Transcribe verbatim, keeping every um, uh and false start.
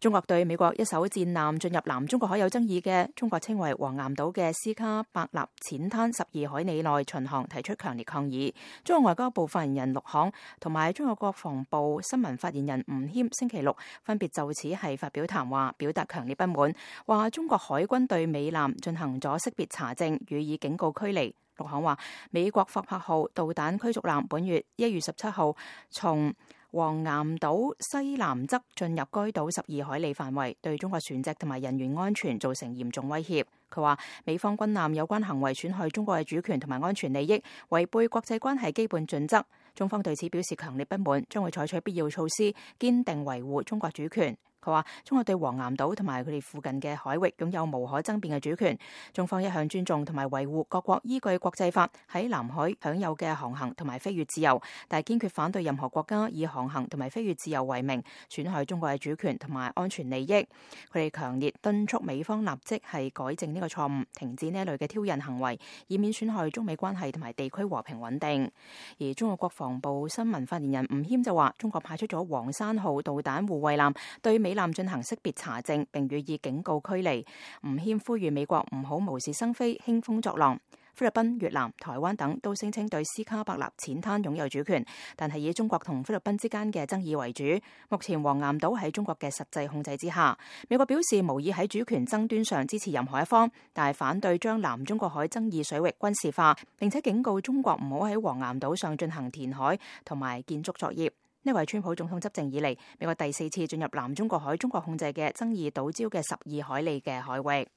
中國對美國一艘戰艦進入南中國海有爭議嘅中國稱為黃岩島嘅斯卡伯納淺灘十二海里內巡航提出強烈抗議。中國外交部發言人陸慷同埋中國國防部新聞發言人吳謙星期六分別就此係發表談話，表達強烈不滿，話中國海軍對美艦進行咗識別查證，予以警告驅離。陸慷話，美國霍珀號導彈驅逐艦本月一月十七號從黃岩島西南側進入該島十二海里範圍，對中國船隻同埋人員安全造成嚴重威脅。佢話美方軍艦有關行為損害中國嘅主權同埋安全利益，違背國際關係基本準則。中方對此表示強烈不滿，將會採取必要措施，堅定維護中國主權。佢話中國對黃岩島同埋佢哋附近嘅海域擁有無可爭辯嘅主權，中方一向尊重同埋維護各國依據國際法喺南海享有嘅航行同埋飛越自由，但係堅決反對任何國家以航行同埋飛越自由為名損害中國嘅主權同埋安全利益。佢哋強烈敦促美方立即係改正呢個錯誤，停止呢一類嘅挑釁行為，以免損害中美關係同埋地區和平穩定。而中國國防部新聞發言人吳謙就話，中國派出咗黃山號導彈護衛艦對美艦進行識別查證，並予以警告驅離。吳謙呼籲美國唔好無事生非、興風作浪。菲律賓、越南、台灣等都聲稱對斯卡伯納淺灘擁有主權，但係以中國同菲律賓之間嘅爭議為主。目前黃岩島喺中國嘅實際控制之下。美國表示無意喺主權爭端上支持任何一方，但係反對將南中國海爭議水域軍事化，並且警告中國唔好喺黃岩島上進行填海同埋建築作業。呢位川普總統執政以嚟，美國第四次進入南中國海中國控制嘅爭議島礁嘅十二海里嘅海域。